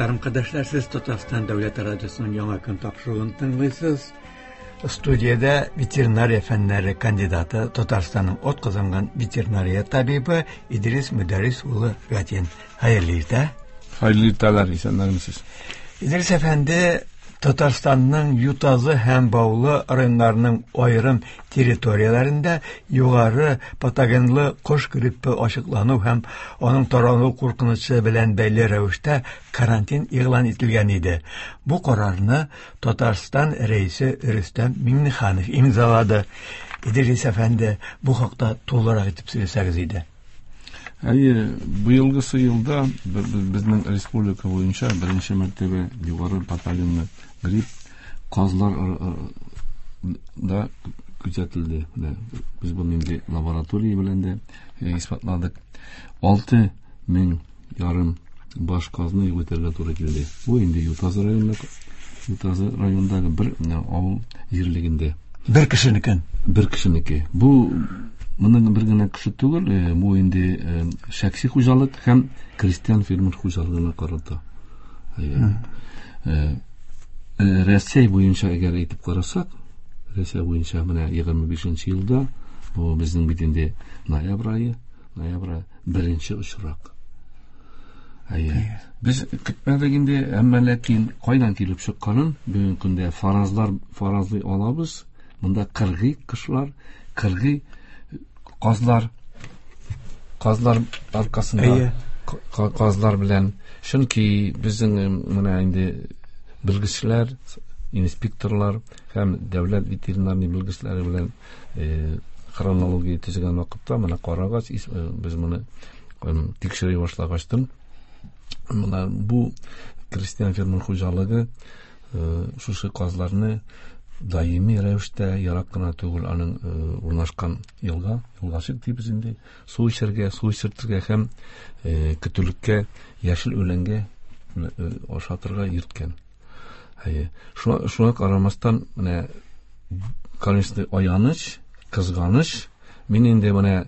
Мөхтәрәм кардәшләр, сез Татарстан дәүләт радиосының Яңа көн тапшыруын тыңлыйсыз. Студиядә ветеринария фәннәре кандидаты, Татарстанның атказанган ветеринария табибы Идрис Мөдәррис улы Гатин. Хәерле иртә. Хәерле иртәләр, исәннәрмесез. Идрис әфәнде, Татарстанның Ютазы һәм Баулы районнарының аерым территорияләрендә югары патогенлы кош гриппы ачыклану һәм аның таралу куркынычы белән бәйле рәвештә карантин игълан ителгән иде. Бу карарны Татарстан Рәисе Рөстәм Миңнеханов имзалады. Идрис әфәнде, бу хакта тулырак итеп сөйләсәгез иде. Әйе, быелгысы елда безнең республика буенча беренче мәртәбә югары патогенлы грипп казлар да күзәтелде. Без бу инде лаборатория белән дә исбатладык. 6,5 мең баш казны юк итәргә туры килде. Бу инде Ютазы районында, Ютазы районындагы бер авыл җирлегендә. Бер кешенекен. Бер кешенеке. Бу моның бер генә кеше түгел, бу инде шәхси хуҗалык һәм крестьян фермер хуҗалыгына карата. Рәсәй буенча әгәр әйтеп карасак, Рәсәй буенча менә 25 елда, бу безнең бит инде ноябрь ае, ноябрь беренче очрак. Әйе. Без көтмәдек инде, әмма ләкин кайдан килеп чыкканын бүгенге көндә фаразлар фаразлый алабыз. Монда кыргый кошлар, кыргый казлар, казлар аркасында казлар белән, чөнки безнең менә инде белгечләр, инспекторлар һәм дәүләт ветеринарный белгечләре белән хронология төзегән вакытта менә карагач, без моны тикшерә башлагачтын, менә бу крестьян фермер хуҗалыгы шушы казларны даими рәвештә, ерак кына түгел аның урнашкан елга, елгачык дибез инде, су эчәргә, су эчертергә һәм көтүлеккә, яшел үләнгә ашатырга йөрткән. Әйе. Шуңа карамастан, менә, конечно, аяныч, кызганыч. Мин инде менә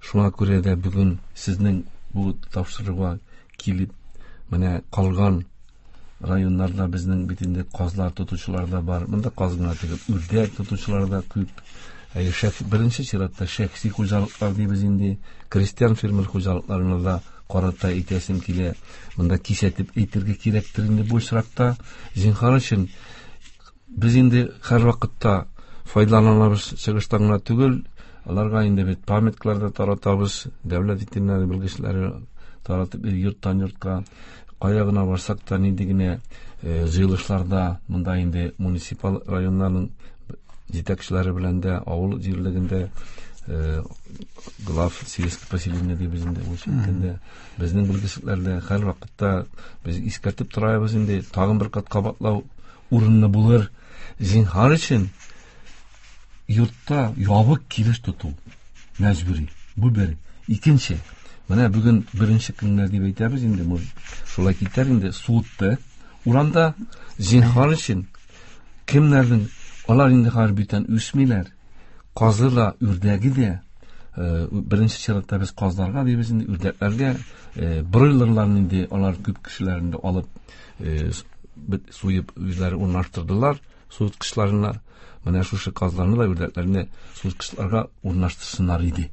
шуңа күрә дә бүген сезнең бу тапшыруга килеп, менә калган районнарда безнең бит инде казлар тотучылар да бар. Монда каз гына түгел, үрдәк тотучылар да күп. Әйе, беренче чиратта шәхси хуҗалыклар дибез инде, крестьян фермер хуҗалыкларына да карата әйтәсем килә. Монда кисәтеп әйтергә кирәктер инде бу очракта. Зинһар өчен, без инде һәрвакытта файдаланабыз чыгыштан гына түгел, аларга инде бит памяткалар да таратабыз, дәүләт ветеринария белгечләре таратып йорттан йортка, кая гына барсак та, нинди генә җыелышларда, монда инде муниципаль районнарның җитәкчеләре белән дә, авыл җирлегендә, глав сельского поселения дибез инде, ул әйткәндә, безнең белгечләрдә һәрвакытта без искәртеп торабыз инде, тагын бер кат кабатлау урынлы булыр. Зинһар өчен, йортта ябык килеш тоту мәҗбүри. Бу бер. Икенче, менә бүген беренче көннәр дип әйтәбез инде, шулай китәр инде, суытты. Урамда, зинһар өчен, кемнәрнең, алар инде хәзер бүтән үсмиләр. Казы да, үрдәге дә, беренче чиратта без казларга дибез инде, үрдәкләргә, бройлерларны инде алар күп кешеләр инде алып, суеп үзләре урнаштырдылар суыткычларына. Менә шушы казларны да, үрдәкләрне суыткычларга урнаштырсыннар иде.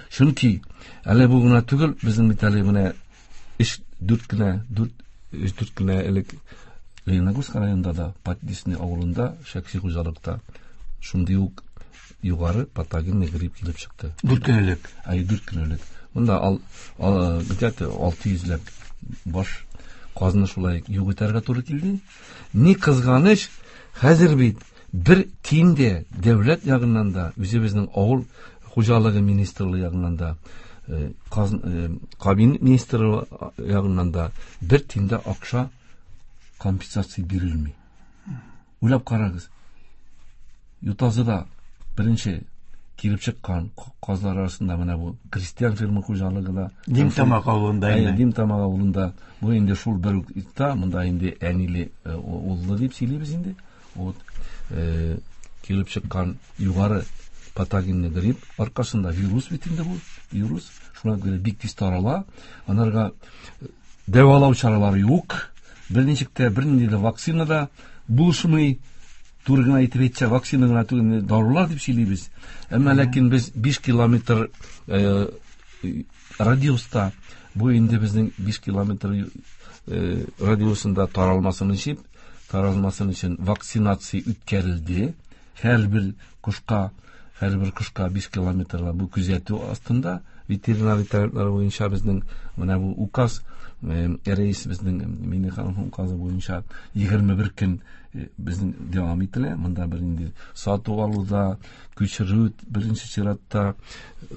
Чөнки әле бу гына түгел, безнең бит әле менә өч, дүрт кенә, дүрт, өч, дүрт кенә элек Лениногорск районында да, Поддесный авылында, шәхси хуҗалыкта шундый ук югары патогенный грипп килеп чыкты. 4 көн элек. Әй, 4 көн элек. Монда ал, где-то 600 ләп баш казны шулай юк итәргә туры килде. Ни кызганыч, хәзер бит бер тиен дә дәүләт ягыннан да, үзебезнең авыл хуҗалыгы министрлыгы ягыннан да, кабинет министры ягыннан да бер тиен дә акча компенсация бирелми. Уйлап карагыз. Ютазыда беренче килеп чыккан казлар арасында менә бу крестьян фермер хуҗалыгы да. Димтамак авылында инде. Димтамак авылында. Бу инде шул бер үк итта, монда инде әниле уллы дип сөйлибез инде. Вот килеп чыккан югары патогенный грипп аркасында, вирус бит инде бу, вирус. Шуңа күрә бик тиз тарала. Анарга дәвалау чаралары юк. Берничек тә бернинди дә вакцина да булышмый. Туры гына әйтеп әйтсә, вакцина гына түгел, дарулар дип сөйлибез. Әмма ләкин без 5 километр радиуста, бу инде безнең 5 километр радиусында таралмасын өчен вакцинация үткәрелде. Һәрбер кошка 5 километрла бу күзәтү астында ветеринария таләпләре буенча безнең менә бу указ, рәис безнең Миңнехановның указы буенча 21 көн безнең дәвам ителә. Монда бер инде сату алуда, күчерү беренче чиратта,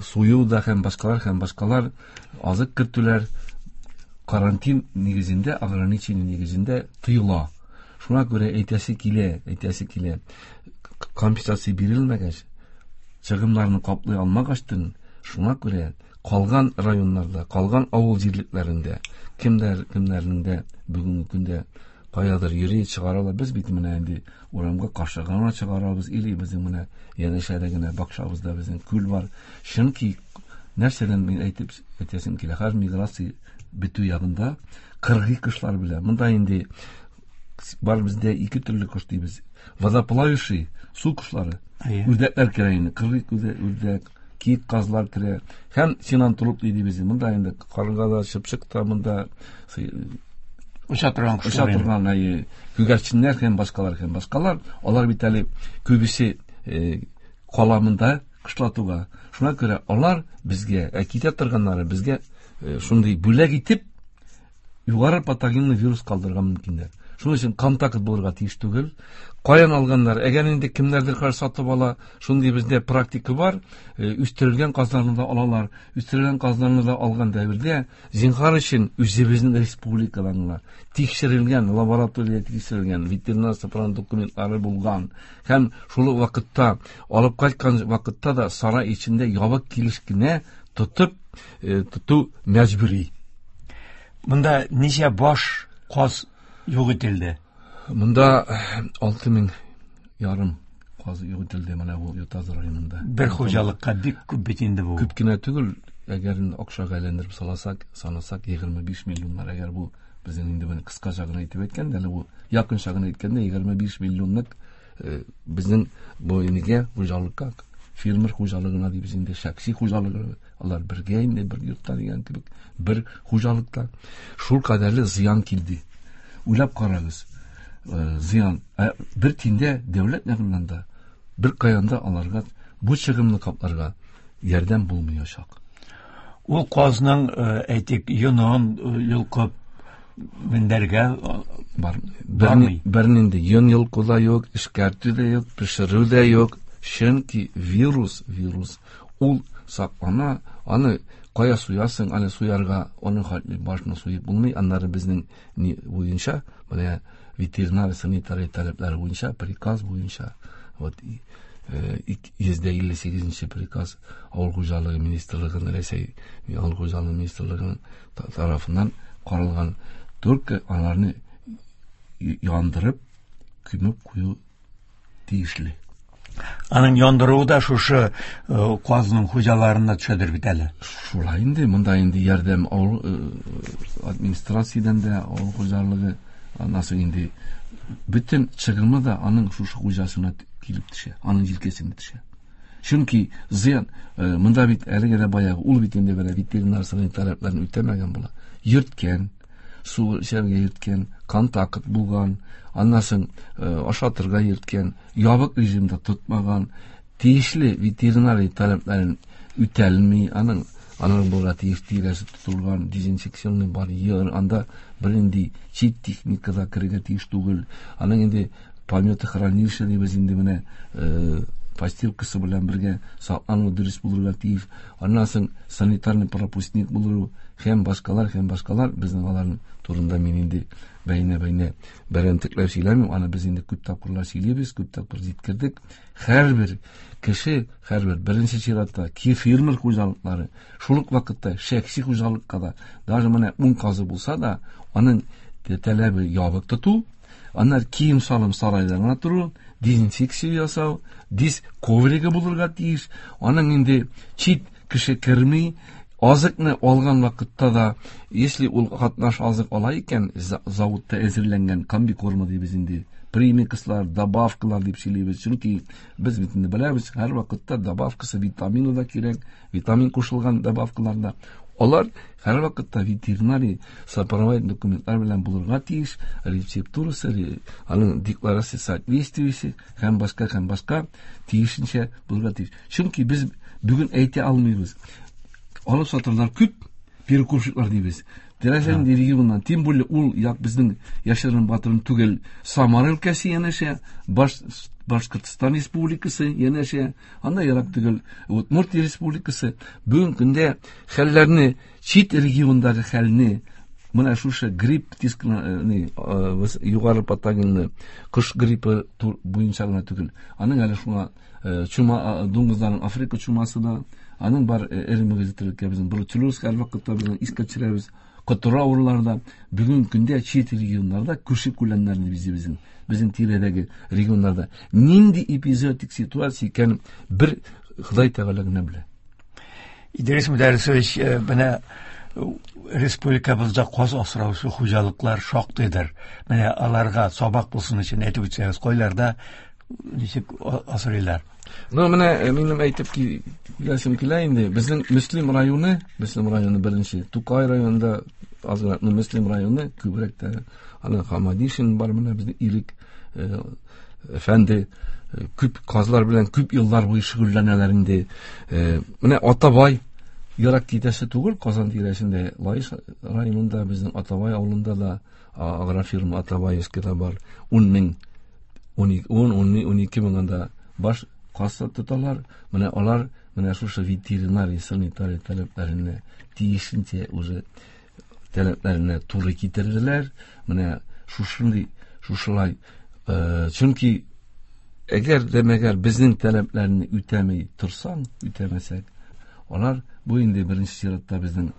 сую да һәм башкалар, азык кертүләр карантин нигезендә, ограничение нигезендә тыела. Шуңа күрә әйтәсе килә. Компенсация бирелмәгәч, чыгымнарны каплый алмагачтын, шуңа күрә калган районнарда, калган авыл җирлекләрендә, кемнәрнең дә бүгенге көндә каядыр йөри чыгаралар. Без бит менә инде урамга каршы гына чыгарабыз, или безнең менә янәшәдә генә бакчабызда безнең күл бар. Чөнки нәрсәдән мин әйтеп әйтәсем килә, хәзер миграция бетү ягында кыргый кошлар белән. Монда инде бар бездә ике төрле кош дибез. Водоплавающий су кошлары. Үрдәкләр керә инде, кыргый үрдәк, киек казлар керә. Һәм синантроп дибез. Монда инде карга да, чыпчык та, монда оча торган кошлар, оча торган күгәрченнәр һәм башкалар. Алар бит әле күбесе кала монда кышлатуга. Шуңа күрә алар безгә, китә торганнары безгә шундый бүләк итеп югары патогенлы вирус калдырырга мөмкиннәр. Шуның өчен контакт булырга тиеш түгел. Каян алганнар? Әгәр инде кемнәрдер хәзер сатып ала, шундый бездә практика бар, үстерелгән казларны да алалар. Үстерелгән казларны да алган дәвердә зинһар өчен үзебезнең республикадан гына тикшерелгән, лабораториядә тикшерелгән, ветеринар сыпырган документлары булган һәм шул ук вакытта алып кайткан вакытта да сарай эчендә ябык килеш кенә тоту мәҗбүри. Монда ничә баш каз юк ителде? Монда 6,5 мең каз юк ителде менә бу Ютазы районында. Бер хуҗалыкка бик күп бит инде бу. Күп кенә түгел, әгәр инде акчага әйләндереп саласак, санасак 25 миллионнар, әгәр бу безнең инде моны кыскача гына әйтеп әйткәндә, әле бу якынча гына әйткәндә 25 миллионлык безнең бу инегә хуҗалыкка, фермер хуҗалыгына дибез инде, шәхси хуҗалыгы, алар бергә инде бер йортта дигән кебек, бер хуҗалыкта шул кадәрле зыян килде. Уйлап карагыз, зыян бер тиндә дәүләт ягыннан да, бер каян да аларга бу чыгымны капларга ярдәм булмаячак. Ул казның, әйтик, йонын йолкып мендәргә бармый. Бернинди йон йолку да юк, эшкәртү дә юк, пешерү дә юк. Чөнки вирус ул саклана, аны кая суясың, аны суярга, аның хәтле башны суеп булмый. Аннары безнең ни буенча, менә ветеринар санитария таләпләре буенча, приказ буенча, вот 158 приказ Авыл хуҗалыгы министрлыгының, Рәсәй Авыл хуҗалыгы министрлыгының тарафыннан каралган, только аларны яндырып, күмеп кую тиешле. Аның яндыруы да шушы казның хуҗаларына төшәдер бит әле. Шулай инде, монда инде ярдәм авыл администрациядән дә, авыл хуҗалыгы анасы инде бөтен чыгымы да аның шушы хуҗасына килеп төшә, аның җилкәсенә төшә. Чөнки зыян, монда бит әлеге дә баягы, ул бит инде менә ветеринар санитар таләпләрен үтәмәгән була. Йөрткән, су эчәргә йөрткән, контакт булган, аннан соң ашатырга йөрткән, ябык режимда тотмаган, тиешле ветеринария таләпләрен үтәлми, аның булырга тиеш тирәсе тотылган, дезинфекционный барьер, анда бернинди чит техника да керергә тиеш түгел. Аның инде пометохранилище дибез инде менә, постилкасы белән бергә саклану дөрес булырга тиеш. Аннан соң санитарный пропускник булыру һәм башкалар, һәм башкалар. Безнең аларның турында мин инде бәйнә-бәйнә берәмтекләп сөйләмим. Аны без инде күп тапкырлар сөйлибез, күп тапкыр җиткердек. Һәрбер кеше, һәрбер беренче чиратта ки фермер хуҗалыклары, шул ук вакытта шәхси хуҗалыкка да, даже менә 10 казы булса да, аның таләбе ябык тоту, аннар кием салым сарайда гына тору, дезинфекция ясау, диз ковригы булырга тиеш, аның инде чит кеше керми, Азыкны алган вакытта да, если ул катнаш азык ала икән, заводта әзерләнгән комбикорма дибез инде, премикслар, добавкалар дип сөйлибез. Чөнки без бит инде беләбез, һәр вакытта добавкасы витамины да кирәк, витамин кушылган добавкалар да. Алар һәр вакытта ветеринарий сопроводительный документлар белән булырга тиеш, рецептурасы, аның декларация соответствующий һәм башка һәм башка тиешенчә булырга тиеш. Чөнки без бүген әйтә алмыйбыз. Алып сатарлар күп, перекупщиклар дибез. Теләсә нинди регионнан, тем более ул як безнең яшерен батырын түгел, Самара өлкәсе янәшә, Башкортстан Республикасы янәшә, анда ерак түгел, Удмуртия Республикасы. Бүгенге көндә хәлләрне, чит региондагы хәлне, менә шушы грипп дискны, югары патогенны, кош гриппы буенча гына түгел, аның әле шуңа чума, дуңгызларның Африка чумасы да, аның бар эре мөгезле терлеккә безнең бруцеллез һәр вакытта безнең искә төшерәбез. Котыру авырулары да бүгенге көндә чит регионнарда күрше күләмнәрне бизи безнең тирәдәге регионнарда нинди эпизоотик ситуация икәнен бер Ходай Тәгалә генә белә. Идрис Мөдәррисович, менә республикабызда каз асраучы хуҗалыклар шактыйдыр. Менә аларга сабак булсын өчен әйтеп үтсәгез, кайларда ничек асрыйлар? Ну, менә минем әйтеп киләсем килә инде. Безнең Мөслим районы, Мөслим районы беренче, Тукай районында азрак, ну, Мөслим районы күбрәк тә, аны Хамадишин бар, менә безнең Ирек әфәнде күп казлар белән күп еллар буе шөгыльләнәләр инде. Менә Атабай ерак китәсе түгел, Казан тирәсендә, Лаеш районында безнең Атабай авылында да агрофирма Атабаевскийда бар. 10 мең, 10, 12 мең анда баш каз тоталар. Менә алар менә шушы ветеринария, санитария таләпләренә тиешенчә уже таләпләренә туры китерделәр. Менә шушындый, шушылай, чөнки әгәр дә мәгәр безнең таләпләрне үтәми торсаң, үтәмәсәк, алар бу инде беренче чиратта безнең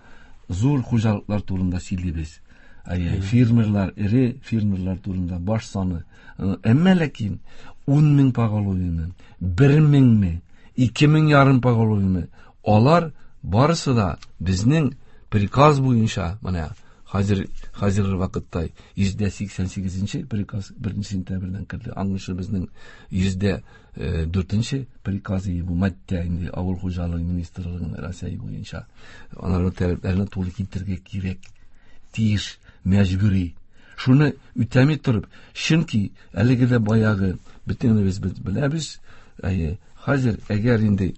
зур хуҗалыклар турында сөйлибез. Әйе, фермерлар, эре фермерлар турында баш саны. Әмма ләкин 10 мең поголовьеме, 1 меңме, 2 мең ярым поголовьеме, алар барысы да безнең приказ буенча, менә хәзерге вакытта 188 приказ 1 сентябрьдән керде. Аңлышы безнең 104 приказ бу маддә инде авыл хуҗалыгы министрлыгының Россия буенча. Аларның таләпләренә туры китерергә кирәк, тиеш, мәҗбүри. Шуны үтәми торып, чөнки әлеге дә баягы бөтенебез беләбез, әйе, хәзер әгәр инде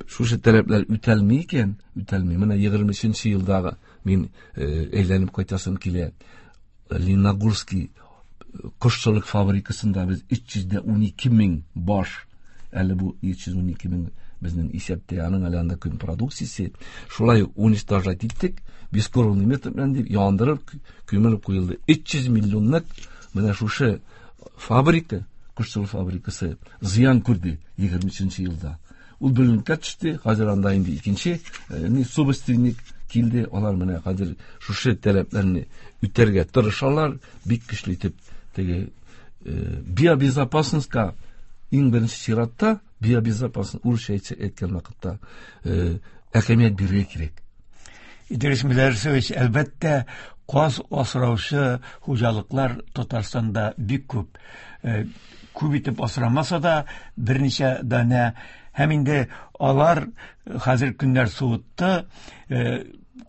шушы таләпләр үтәлми икән, үтәлми. Менә 23 елдагы мин әйләнеп кайтасым килә. Лениногорский кошчылык фабрикасында без 312 мең баш, әле бу 312 мең безнең исәптә, аның әле анда көн продукциясе. Шулай уничтожать иттек, бескровный метод белән дип яндырып, күмелеп куелды. 300 миллионлык менә шушы фабрика, кошчылык фабрикасы зыян күрде 23 елда. Ул бүленкә төште, хәзер анда инде икенче, собственник килде. Алар менә хәзер шушы таләпләрне үтәргә тырышалар, бик көчле итеп теге биобезопасностька иң беренче чиратта биобезопасность урысча әйткән вакытта әһәмият бирергә кирәк. Идрис Мөдәррисович, әлбәттә, каз асраучы хуҗалыклар Татарстанда бик күп. Күп итеп асрамаса да, берничә данә. Һәм инде алар хәзер көннәр суытты,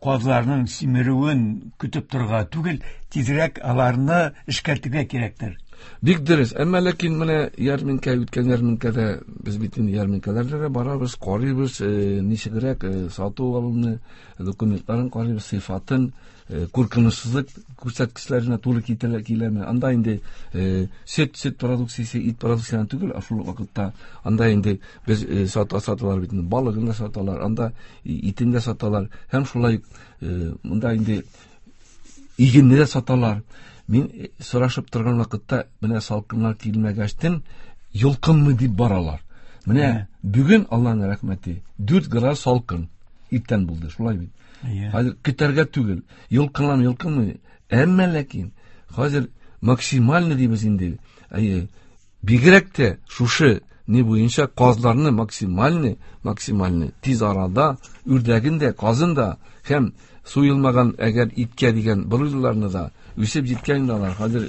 казларның симерүен көтеп торырга түгел, тизрәк аларны эшкәртергә кирәктер. Бик дөрес. Әмма ләкин менә ярминкә, үткән ярминкәдә без бит инде ярминкәләргә дә барабыз, карыйбыз, ничегрәк сату алуны, документларын карыйбыз, сыйфатын, куркынычсызлык күрсәткечләренә туры киләме. Анда инде сөт продукциясе, ит продукциясе түгел, ә шул вакытта анда инде без саталар бит инде, балыгын да саталар, анда итен дә саталар, һәм шулай монда инде игенне дә саталар. Мин сорашып торган вакытта менә салкыннар килмәгәчтен йолкынмы дип баралар. Менә бүген Аллаһның рәхмәте 4 градус салкын иртән булды, шулай бит. Хәзер көтәргә түгел, йолкынлам, йолкынмый. Әмма ләкин хәзер максимально дибез инде. Әйе, бигрәк тә шушы ни буенча казларны максимальный, максимальный тиз арада үрдәген дә, казын да һәм суелмаган әгәр иткә дигән бройлерларны да үсеп җиткән инде алар. Хәзер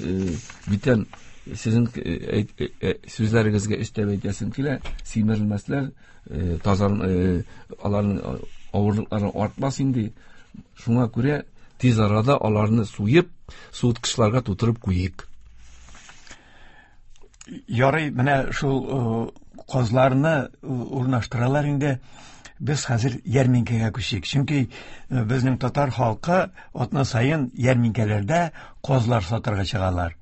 бүтән сезнең сүзләрегезгә өстәп әйтәсем килә, симерелмәсләр, тазар, аларның авырлыклары артмас инде. Шуңа күрә тиз арада аларны суеп, суыткычларга тутырып куйыйк. Ярый, менә шул казларны урнаштыралар инде. Без хәзер ярминкәгә күчик. Чөнки безнең татар халкы атна саен ярминкәләрдә казлар сатырга чыгалар.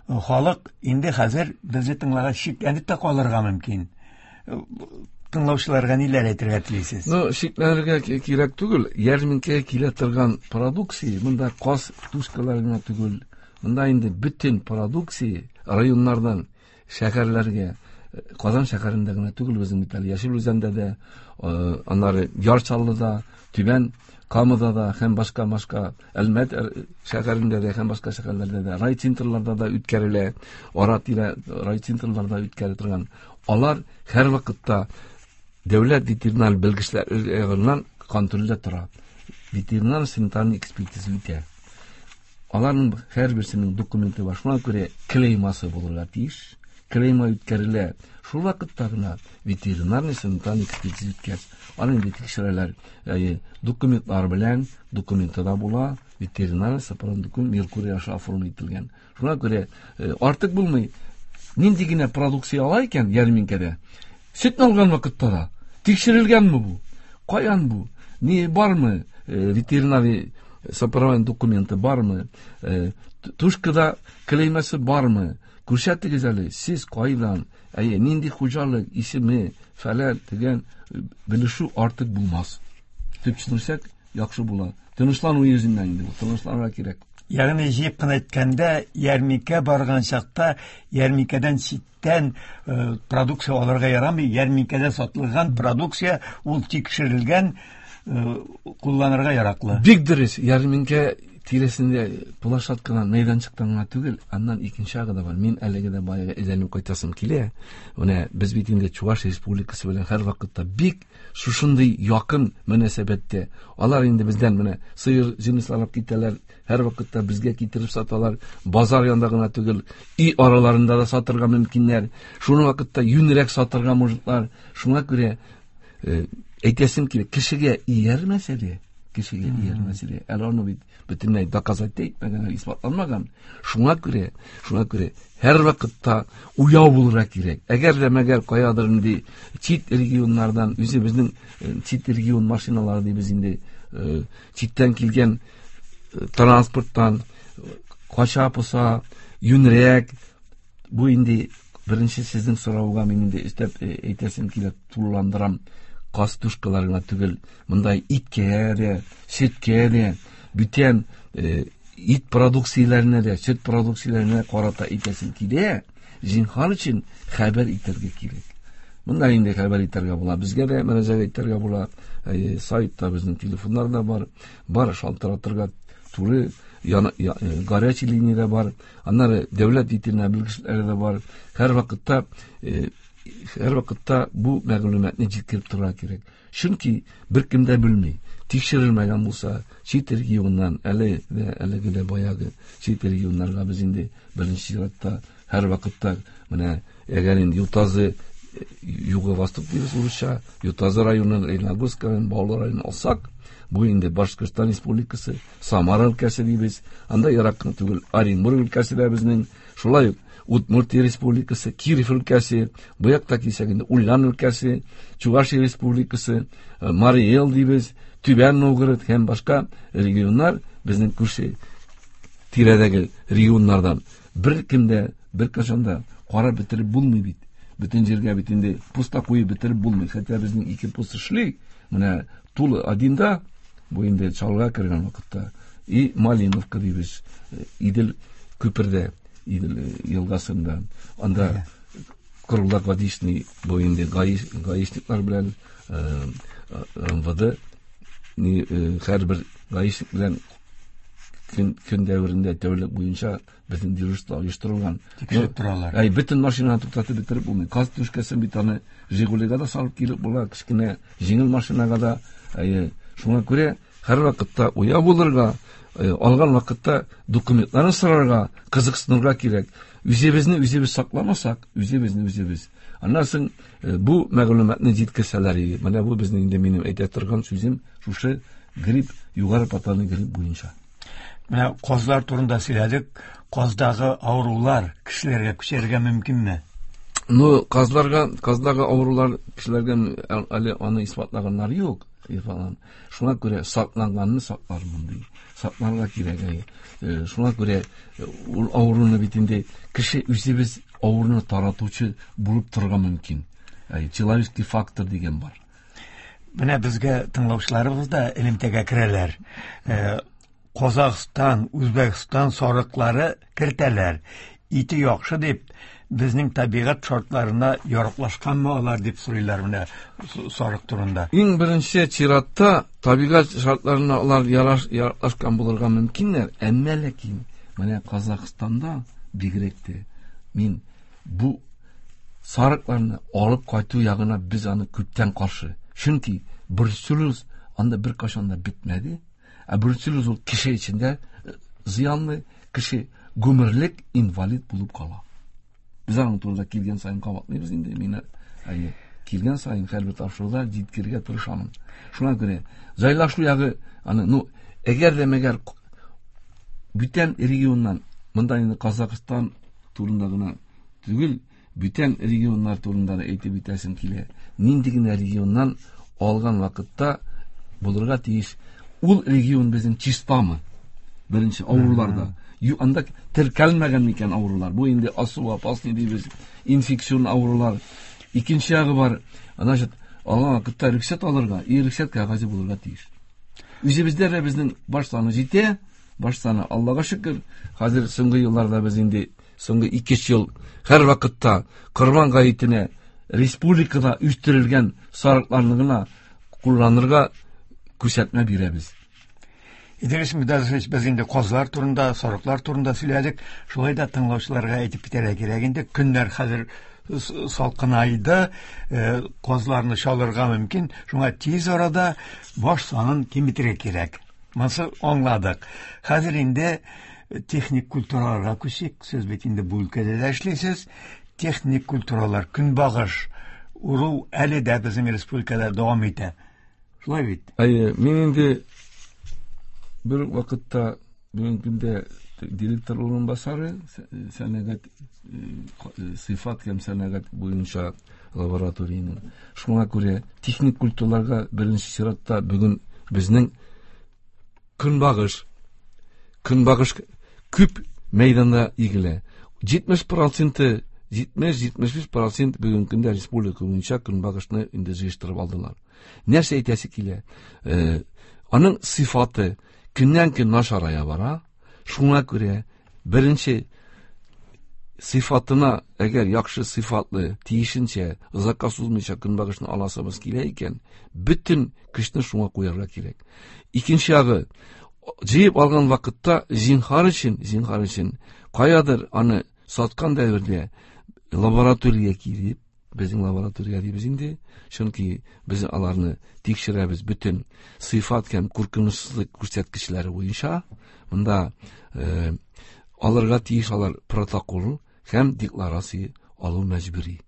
Халык инде хәзер безне тыңлагач шикләнеп тә калырга мөмкин. Тыңлаучыларга ниләр әйтергә телисез? Ну, шикләнергә кирәк түгел. Ярминкәгә килә торган продукция, монда каз тушкалары гына түгел. Монда инде бөтен продукция районнардан шәһәрләргә, Казан шәһәрендә генә түгел, безнең бит әле Яшел Үзәндә дә, аннары Яр Чаллыда, Түбән Камада да һәм башка-башка Әлмәт шәһәрендә дә һәм башка шәһәрләрдә дә, райцентрларда да үткәрелә, ара-тирә райцентрларда үткәрелә торган. Алар һәр вакытта дәүләт ветеринар белгечләреннән контрольдә тора. Ветеринар санитарный экспертиза үтә. Аларның һәрберсенең документы бар. Шуңа күрә клеймасы булырга тиеш. Клейма үткәрелә. Шул вакытта гына ветеринарный санитарный экспертиза үткәч, аны инде тикшерәләр. Әйе, документлар белән, документы да була, ветеринарный сопроводный документ Меркурий аша оформить ителгән. Шуңа күрә артык булмый. Нинди генә продукция ала икән ярминкәдә, сөтне алган вакытта да тикшерелгәнме бу? Каян бу? Ни бармы? Ветеринарный сопроводный документы бармы? Тушкада клеймасы бармы? Күрсәтегез әле, сез кайдан? Әйе, нинди хуҗалык исеме, фәлән дигән белешү артык булмас. Төпченсәк яхшы була. Тынычлану йөзеннән инде бу, тынычланырга кирәк. Ягъни җыеп кына әйткәндә, ярминкә барган чакта ярминкәдән читтән продукция алырга ярамый. Ярминкәдә сатылган продукция ул тикшерелгән, кулланырга яраклы. Бик дөрес. Ярминкә тирәсендә площадкадан, мәйданчыктан гына түгел, аннан икенче ягы да бар. Мин әлеге дә баягы әйләнеп кайтасым килә. Менә без бит инде Чуваш Республикасы белән һәр вакытта бик шушындый якын мөнәсәбәттә. Алар инде бездән менә сыер җенесләр алып китәләр, һәр вакытта безгә китереп саталар. Базар янында гына түгел, өй араларында да сатырга мөмкиннәр. Шуның вакытта юньрәк сатырга мужиклар. Шуңа күрә әйтәсем килә, кешегә иярмәсә дә, кешегә иярмәсә дә, әле аны бит бөтенләй доказать итмәгән, исбатланмаган. Шуңа күрә, шуңа күрә һәр вакытта уяу булырга кирәк. Әгәр дә мәгәр каядыр инде чит регионнардан, үзебезнең чит регион машиналары дибез инде, читтән килгән транспорттан кача поса, юнрәк. Бу инде беренче сезнең сорауга мин инде өстәп әйтәсем килә, тулыландырам. Каз тушкалары гына түгел, монда иткә дә, сөткә дә, бүтән ит продукцияләренә дә, сөт продукцияләренә карата әйтәсем килә. Зинһар өчен хәбәр итәргә кирәк. Монда инде хәбәр итәргә була, безгә дә мөрәҗәгать итәргә була. Сайтта безнең телефоннар да бар, бар шалтыратырга туры горячий линия дә бар. Аннары дәүләт ветеринар белгечләре дә бар. Һәр вакытта бу мәгълүматны җиткереп торырга кирәк. Чөнки беркем дә белми. Тикшерелмәгән булса, чит регионнан, әле дә, әлеге дә баягы чит регионнарга без инде беренче чиратта һәр вакытта менә әгәр инде Ютазы, Юго-Восток дибез урысча, Ютазы районын, Лениногорск районын, Баулы районын алсак, бу инде Башкортстан Республикасы, Самара өлкәсе дибез, анда ерак кына түгел, Оренбург өлкәсе дә безнең, шулай ук Удмуртия Республикасы, Киров өлкәсе, бу якта килсәк инде Ульян өлкәсе, Чувашия Республикасы, Марий Эл дибез, Түбән Новгород һәм башка регионнар безнең күрше тирәдәге регионнардан бер кемдә, бер кашан да карап бетереп булмый бит. Бөтен җиргә бит инде поста куеп бетереп булмый. Хәтта безнең ике пост эшли. Менә Тула одинда, бу инде Чаллыга кергән вакытта, и Малиновка дибез, Идел күпердә, Идел елгасында. Анда круглогодичный бу инде гаишниклар белән МВД, һәрбер гаишник белән Көн дәверендә тәүлек буенча безнең дежурство оештырылган. Тикшереп торалар. Әй, бөтен машинаны туктатып бетереп булмый. Каз түшкәсен бит аны Жигулига да салып килеп була, кечкенә җиңел машинага да. Әйе, шуңа күрә һәрвакытта уяу булырга, алган вакытта документларын сорарга, кызыксынырга кирәк. Үзебезне үзебез сакламасак, үзебезне үзебез. Аннан соң бу мәгълүматны җиткерсәләр иде. Менә бу безнең инде минем әйтә торган сүзем шушы грипп, югары патогенлы грипп буенча. Менә казлар турында сөйләдек. Каздагы авырулар кешеләргә күчәргә мөмкинме? Ну, казларга, каздагы авырулар кешеләргә әле аны исбатлаганнар юк. Шуңа күрә сакланганны саклармын ди. Сакларга кирәк. Шуңа күрә ул авыруны бит инде кеше үзебез авыруны таратучы булып торырга мөмкин. Человеческий фактор дигән бар. Менә безгә тыңлаучыларыбыз да элемтәгә керәләр. Казахстан, Үзбәкстан сарыклары кертәләр. Ите яхшы дип, безнең табигать шартларына яраклашканмы алар дип сорыйлар менә сарык турында. Иң беренче чиратта табигать шартларына алар яраклашкан булырга мөмкиннәр, әмма ләкин менә Казахстанда бигрәк тә мин бу сарыкларны алып кайту ягына без аны күптән каршы. Чөнки бруцеллез анда беркайчан да бетмәде. Ә бруцеллез ул кеше эчендә зыянлы, кеше гомерлек инвалид булып кала. Без аның турында килгән саен кабатлыйбыз инде. Мин әйе, килгән саен һәрбер тапшыруда җиткерергә тырышамын. Шуңа күрә җайлашу ягы аны, ну, әгәр дә мәгәр бүтән регионнан, монда инде Казахстан турында гына түгел, бүтән регионнар турында да әйтеп үтәсем килә. Нинди генә регионнан алган вакытта булырга тиеш, ул регион безнең чистамы? Беренче авыруларда. Анда теркәлмәгән микән авырулар? Бу инде особо опасный дибез, инфекцион авырулар. Икенче ягы бар, значит, алган вакытта рөхсәт алырга, и рөхсәт кәгазе булырга тиеш. Үзебездә дә безнең баш саны җитә, баш саны Аллага шөкер. Хәзер соңгы елларда без инде соңгы 2 ел һәр вакытта Корбан гаетенә республикада үстерелгән сарыкларны гына кулланырга күрсәтмә бирәбез. Идрис Мидазович, без инде казлар турында, сарыклар турында сөйләдек. Шулай да тыңлаучыларга әйтеп китәргә кирәк инде. Көннәр хәзер салкынайды, казларны чалырга мөмкин. Шуңа тиз арада баш санын киметергә кирәк. Монысы аңладык. Хәзер инде техник культураларга күчик. Сез бит инде бу өлкәдә дә эшлисез. Техник культуралар, көнбагыш уру әле дә безнең республикада дәвам итә. Шулай бит? Әйе, мин инде бер вакытта бүгенге көндә директор урынбасары сәнәгать, сыйфат һәм сәнәгать буенча лабораториянең. Шуңа күрә техник культураларга беренче чиратта бүген безнең көнбагыш күп мәйданда игелә. Җитмеш проценты, җитмеш, җитмеш биш процент бүгенге көндә республика буенча көнбагышны инде җыештырып алдылар. Нәрсә әйтәсе килә? Аның сыйфаты көннән-көн начарая бара. Шуңа күрә беренче сыйфатына, әгәр яхшы сыйфатлы, тиешенчә, озакка сузмыйча көнбагышны аласыбыз килә икән, бөтен көчне шуңа куярга кирәк. Икенче ягы, җыеп алган вакытта зинһар өчен, зинһар өчен каядыр аны саткан дәвердә лаборатория килеп, безнең лаборатория дибез инде, чөнки без аларны тикшерәбез бөтен сыйфат һәм куркынычсызлык күрсәткечләре буенча. Монда алырга тиеш алар протокол һәм декларация алу мәҗбүри.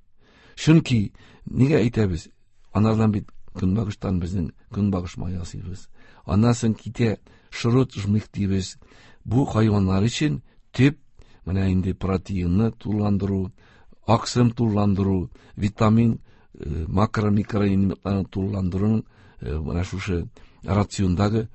Чөнки нигә әйтәбез? Анардан бит көнбагыштан безнең көнбагыш мае ясыйбыз. Аннан соң китә шрот жмых дибез. Бу хайваннар өчен төп менә инде протеинны тулыландыру, аксым тулыландыру, витамин, макро, микроэлементларны тулыландыруның менә шушы рациондагы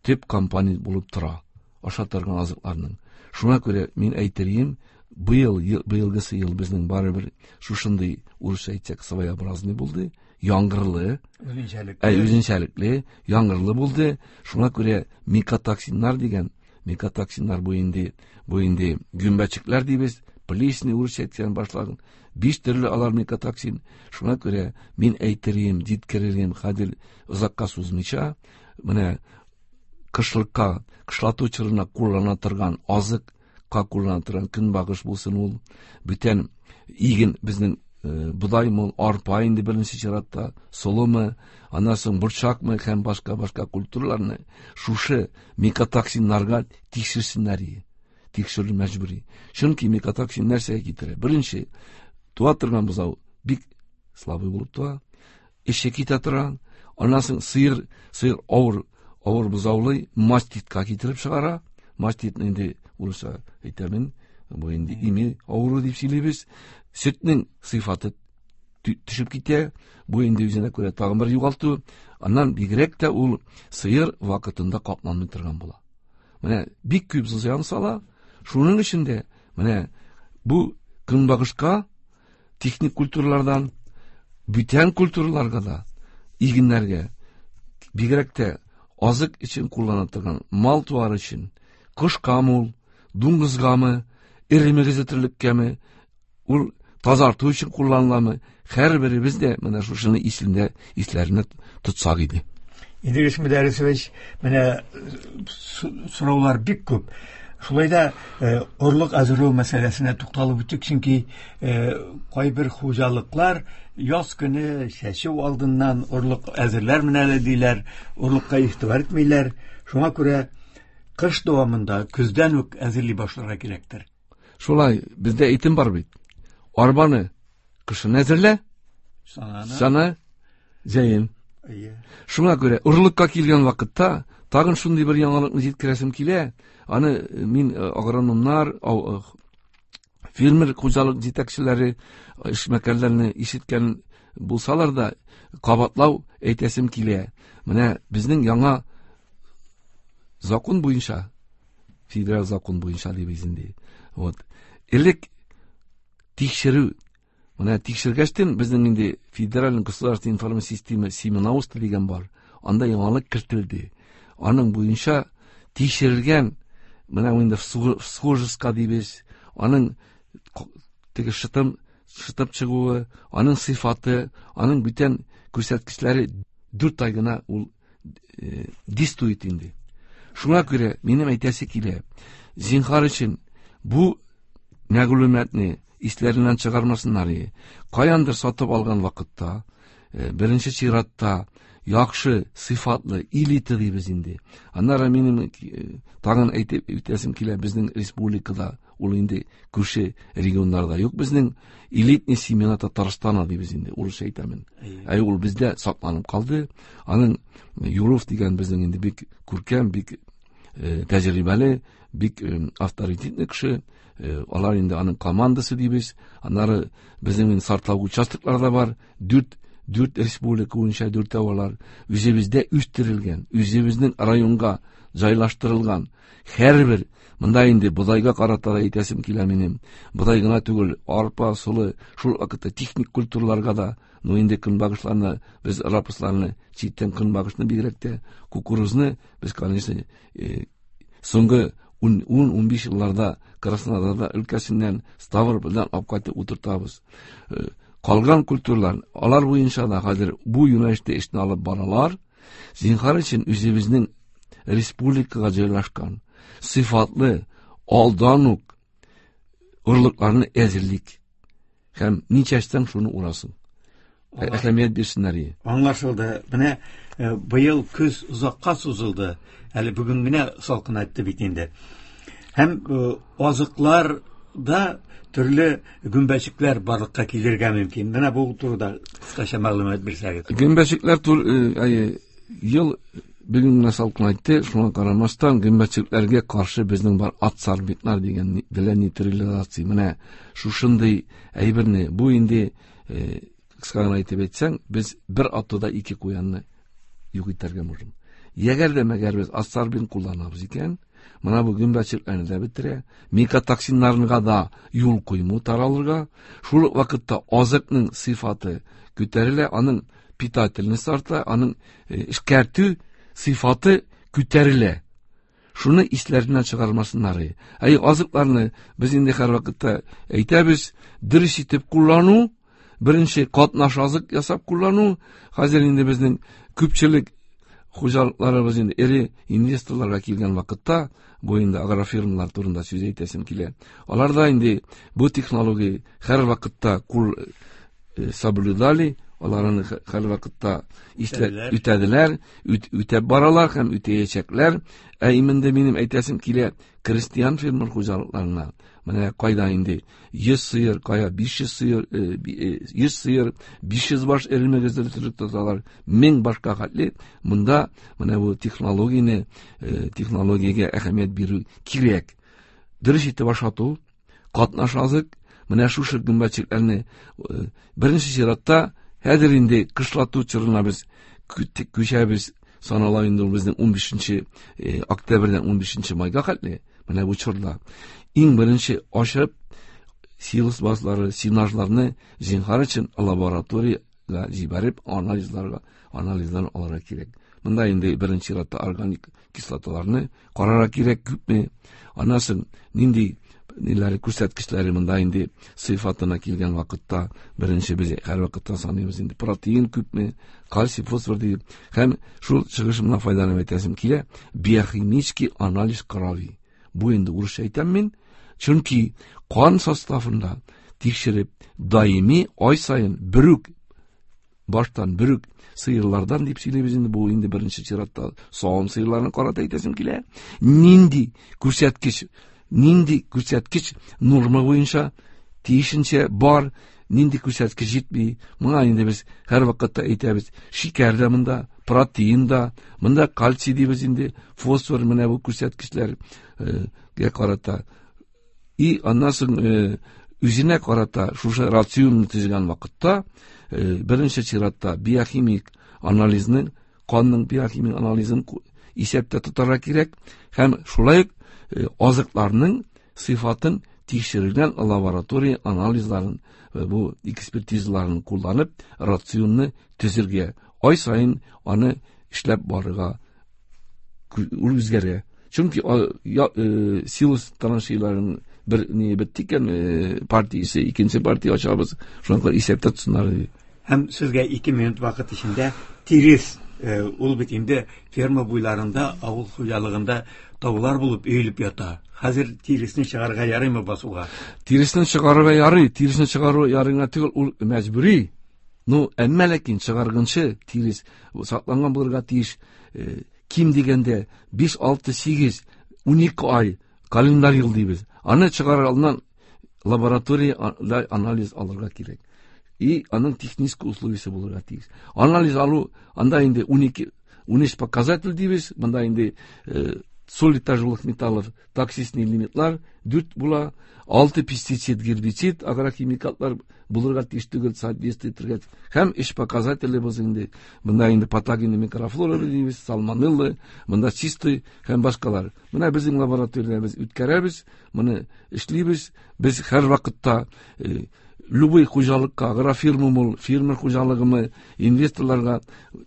төп компонент булып тора аша торган азыкларның. Шуңа күрә мин әйтерим, быелгысы ел безнең барыбер шушындый, урысча әйтсәк, своеобразный булды, яңгырлы, Үзенчәлекле. Үзенчәлекле, яңгырлы булды. Шуңа күрә микотоксиннар дигән, микотоксиннар бу инде гөмбәчекләр дибез, плесень урысча әйткән башлаган, 5 төрле алар микотоксин. Шуңа күрә мин әйтерим, җиткерерим, хәзер озакка сузмыйча, менә кышлыкка, кышлату чорына куллана торган азыкка куллана торган көнбагыш булсын ул, бүтән иген безнең бодаймы, арпа инде беренче чиратта, солымы, аннан соң борчакмы һәм башка-башка культураларны шушы микотоксиннарга тикшерсеннәр. Тикшерү мәҗбүри. Чөнки микотоксин нәрсәгә китерә? Беренче, туа торган бозау бик слабый булып туа, эче китә тора, аннан соң сыер авыр бозаулый, маститка китереп чыгара. Мастит инде урысча әйтәмен, бу инде ими авыру дип сөйлибез. Сөтнең сыйфаты төшеп китә, бу инде үзенә күрә тагын бер югалту. Аннан бигрәк тә ул сыер вакытында капланмый торган була. Менә бик күп зыян сала. Шуның өчен дә менә бу көнбагышка, техник культуралардан бүтән культураларга да, игеннәргә, бигрәк тә азык өчен куллана торган мал-туар өчен, кошкамы ул, дуңгызгамы, эре мөгезле терлеккәме, ул тазарту өчен кулланыламы, һәрберебез дә менә шушыны исләренә тотсак иде. Идрис Мөдәррисович, менә сораулар бик күп. Шулай да орлык әзерләү мәсьәләсенә тукталып үттек, чөнки кайбер хуҗалыклар яз көне чәчү алдыннан орлык әзерләрмен әле диләр, орлыкка игътибар итмиләр. Шуңа күрә кыш дәвамында көздән үк әзерли башларга кирәктер. Шулай, бездә әйтем бар бит. Арбаны кышын әзерлә, сана җәен. Шуңа күрә орлыкка килгән вакытта тагын шундый бер яңалыкны җиткерәсем килә. Аны мин агрономнар, фермер хуҗалык җитәкчеләре, эшмәкәрләрне ишеткән булсалар да, кабатлау әйтәсем килә. Менә безнең яңа закон буенча, федераль закон буенча дибез инде. Вот. Элек тикшерү, менә тикшергәчтен безнең инде федераль государственная информация система семеноводство дигән бар. Анда яңалык кертелде. Аның буенча тикшерелгән, менә инде всхожестка дибез, аның теге шытып чыгуы, аның сыйфаты, аның бүтән күрсәткечләре 4 ай гына ул действует инде. Шуңа күрә минем әйтәсе килә, зинһар өчен бу мәгълүматны исләреннән чыгармасыннар. Каяндыр сатып алган вакытта, беренче чиратта яхшы, сыйфатлы элита дибез инде. Аннары минем тагын әйтеп үтәсем килә, безнең республикада, ул инде күрше регионнарда юк, безнең элитный семена Татарстана дибез инде, урысча әйтәмен. Әй, ул бездә сакланып калды. Аның Юров дигән безнең инде бик күркәм, бик тәҗрибәле, бик авторитетный кеше. Алар инде аның командасы дибез. Аннары безнең инде сортлау участоклары да бар. Дүрт республика буенча дүртәү алар. Үзебездә үстерелгән, үзебезнең районга җайлаштырылган һәрбер, монда инде бодайга карата да әйтәсем килә минем. Бодай гына түгел, арпа, солы, шул вакытта техник культураларга да, ну инде көнбагышларны, без рапсларны, читтән көнбагышны бигрәк тә, кукурузны без, конечно, соңгы 10-15 елларда Краснодарда өлкәсеннән Ставропольдән алып кайтып утыртабыз. Калган культуралар, алар буенча да хәзер бу юнәлештә эшне алып баралар. Зинһар өчен үзебезнең республикага җайлашкан сыйфатлы алдан ук орлыкларны әзерлик. Һәм ничәстән шуны урасын. Әһәмият бирсеннәр. Аңлашылды. Менә быел көз озакка сузылды. Әле бүген генә салкынайтты бит инде. Һәм азыклар да төрле гөмбәчекләр барлыкка килергә мөмкин. Менә бу турыда кыскача мәгълүмат бирсәгез. Гөмбәчекләр ел бүген генә салкынайтты, шуңа карамастан гөмбәчекләргә каршы безнең бар адсорбентлар дигән для нейтрализации. Менә шушындый әйберне, бу инде кыска гына әйтеп әйтсәң, без бер атуда ике куянны юк итәргә можем. Әгәр дә мәгәр без адсорбент кулланабыз икән, менә бу гөмбәчекләрне дә бетерә, микотоксиннарга да юл куймый таралырга, шул ук вакытта азыкның сыйфаты күтәрелә, аның питательность арта, аның эшкәртү сыйфаты күтәрелә. Шуны исләреннән чыгармасыннар. Әй, азыкларны без инде һәрвакытта әйтәбез, дөрес итеп куллану, беренче катнаш азык ясап куллану. Хәзер инде безнең күпчелек Хуҗалыкларыбыз инде эре инвесторларга килгән вакытта, бу инде агрофирмалар турында сүз әйтәсем килә. Алар да инде бу технология һәр вакытта кул соблюдали, аларны һәр вакытта үтәделәр, үтәп баралар һәм үтәячәкләр. Ә инде минем әйтәсем килә, крестьян фермер хуҗалыкларына, менә кайда инде 100 сыер, кая 500 сыер, 100 сыер, 500 баш эремегезде тотып тоталар, 1000 башка хәтле. Монда менә бу технологияне, технологиягә әһәмият бирү кирәк. Дөрес итеп ашату, катнаш азык, менә шушы гөмбәчекләрне беренче чиратта хәзер инде кышлату чорына без күчәбез, санала инде ул безнең 15 октябрьдән 15 майга хәтле. Менә бу чорда иң беренче ашып силос базлары, сенажларны зинһар өчен лабораториягә җибәреп анализлар алырга кирәк. Монда инде беренче чиратта органик кислоталарны карарга кирәк күпме. Аннан соң нинди ниләре күрсәткечләре монда инде сыйфатына килгән вакытта беренче без һәр вакытта саныйбыз инде протеин күпме, кальций, фосфор дип. Һәм шул чыгышымнан файдаланып әйтәсем килә, биохимический анализ крови. Бу инде урысча әйтәм мин, чөнки кан составында тикшереп даими ай саен бер үк баштан бер үк сыерлардан дип сөйлибез инде, бу инде беренче чиратта савым сыерларын карата әйтәсем килә. Нинди күрсәткеч норма буенча тиешенчә бар, нинди күрсәткеч җитми. Моңа инде без һәр вакытта әйтәбез, шикәр дә монда, протеин да, монда кальций дибез инде, фосфор, менә бу күрсәткечләргә карата. И аннан соң үзенә карата шушы рационны төзегән вакытта беренче чиратта биохимик анализны, канның биохимик анализын исәптә тотарга кирәк һәм шулай ук азыкларның сыйфатын тикшерелгән лаборатория анализларын, бу экспертизаларын кулланып рационны төзергә, ай саен аны эшләп барырга, ул үзгәрә. Чөнки силос траншеяларын бер ни бетте икән, партиясе, икенче партия ачабыз, шуңа күрә исәптә тотсыннар дип. Һәм сезгә 2 минут вакыт эчендә тирес, ул бит инде ферма буйларында, авыл хуҗалыгында таулар булып өелеп ята. Хәзер тиресне чыгарырга ярыймы басуга? Тиресне чыгарырга ярый, тиресне чыгару ярыйга түгел, ул мәҗбүри. Ну, әмма ләкин чыгарганчы тирес сакланган булырга тиеш. Ким дигәндә 5, 6, 8, 12 ай календарь ел дибез. Аны чыгарыр алдыннан лабораторияда анализ алырга кирәк. И аның технический условиясе булырга тиеш. Анализ алу анда инде 12, 13 показатель дибез, монда инде соли тяжелых металлов, токсичный лимитлар 4 була, 6 пестицид, гербицид, агрохимикатлар булырга тиеш түгел, соответствие итергә. Һәм эш показатели булсын инде. Монда инде патогенный микрофлора дибез, сальмонелла, монда чистый һәм башкалар. Менә безнең лабораториядә без үткәрәбез, моны эшлибез. Без һәр вакытта любой хуҗалыкка, агрофирмамы, фермер хуҗалыгымы, инвесторларга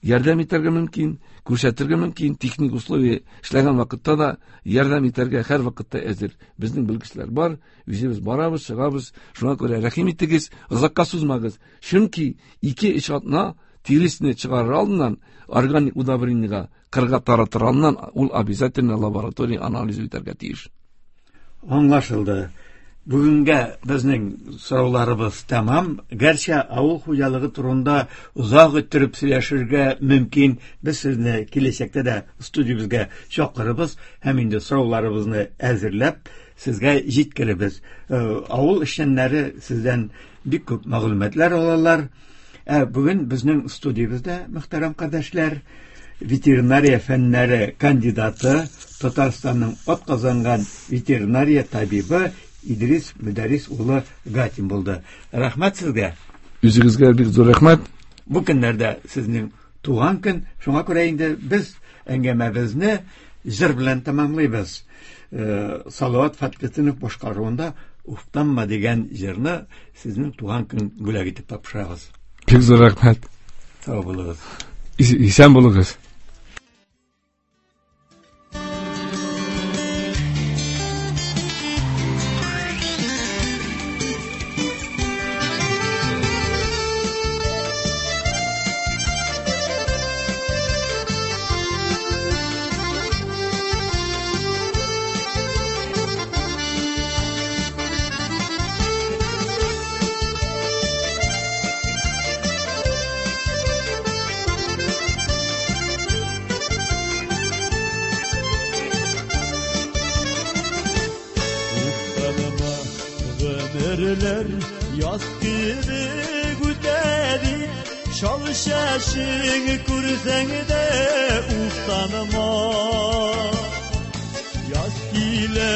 ярдәм итәргә мөмкин, күрсәтергә мөмкин, техник условия эшләгән вакытта да ярдәм итәргә һәр вакытта әзер. Безнең белгечләр бар, үзебез барабыз, чыгабыз. Шуңа күрә рәхим итегез, озакка сузмагыз. Чөнки 2-3 атна тиресне чыгарыр алдыннан органик удобрениега кырга таратыр алдыннан ул обязательно лаборатория анализ үтәргә тиеш. Аңлашылды. Бүгенгә безнең сорауларыбыз тәмам. Гәрчә авыл хуҗалыгы турында озак иттереп сөйләшергә мөмкин. Без сезне киләчәктә дә студиябезгә чакырыбыз һәм инде сорауларыбызны әзерләп сезгә җиткеребез. Авыл эшчәннәре сездән бик күп мәгълүматлар алалар. Ә бүген безнең студиябездә, мөхтәрәм кардәшләр, ветеринария фәннәре кандидаты, Татарстанның атказанган ветеринария табибы Идрис Мөдәррис улы Гатин булды. Рәхмәт сезгә. Үзегезгә бик зур рәхмәт. Бу көннәрдә сезнең туган көн, шуңа күрә инде без әңгәмәбезне җыр белән тәмамлыйбыз. Салават Фәтхетдинов башкаруында Уфтанма дигән җырны сезнең туган көн бүләк итеп тапшырабыз. Бик зур рәхмәт. Сау булыгыз. Исән булыгыз. Yaz кебек үтә дип, чал чәчең күрсәң дә уфтанма. Яз килә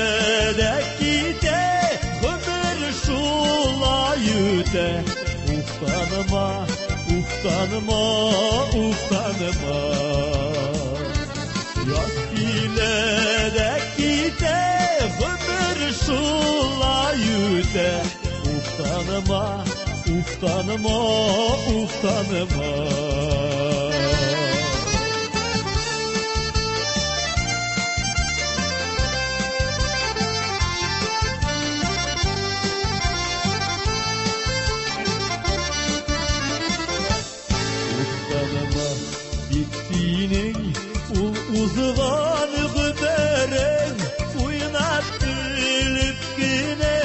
дә китә, гомер шулай үтә. Уфтанма, уфтанма, уфтанма. Яз килә дә китә, гомер шулай үтә. Уфтанма, уфтанма, уфтанма. Уфтанма, бит синең ул узган гомерең уйнап көлеп кенә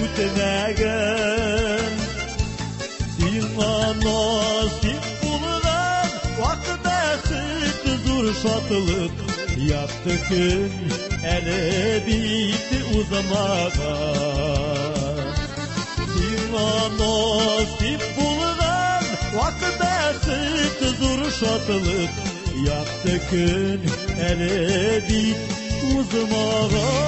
үтмәгән. Сиңа насыйп булган вак бәхет зур шатлык, якты көн әле бит узмаган. Сиңа насыйп булган вак бәхет зур шатлык, якты көн әле бит узмаган.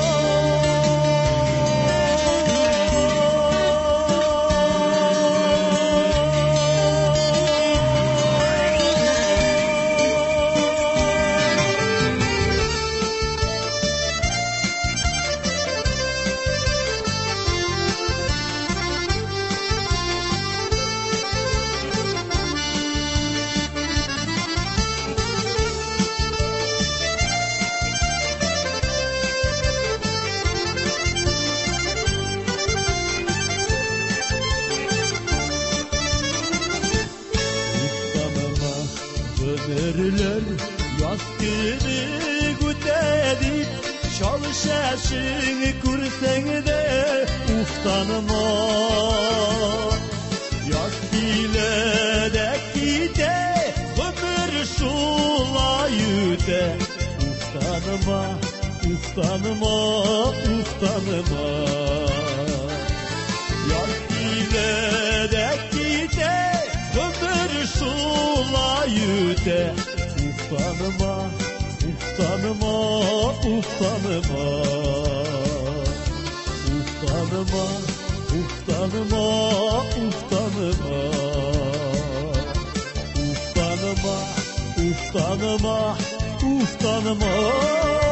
Уфтанма, гомерләр яз кебек үтә дип, чал чәчең күрсәң дә уфтанма. Яз килә дә китә, гомер шулай үтә. Уфтанма, уфтанма, уфтанма. Яз килә дә китә, гомер шулай үтә. Уфтанма, уфтанма, уфтанма. Уфтанма, уфтанма, уфтанма. Уфтанма, уфтанма, уфтанма.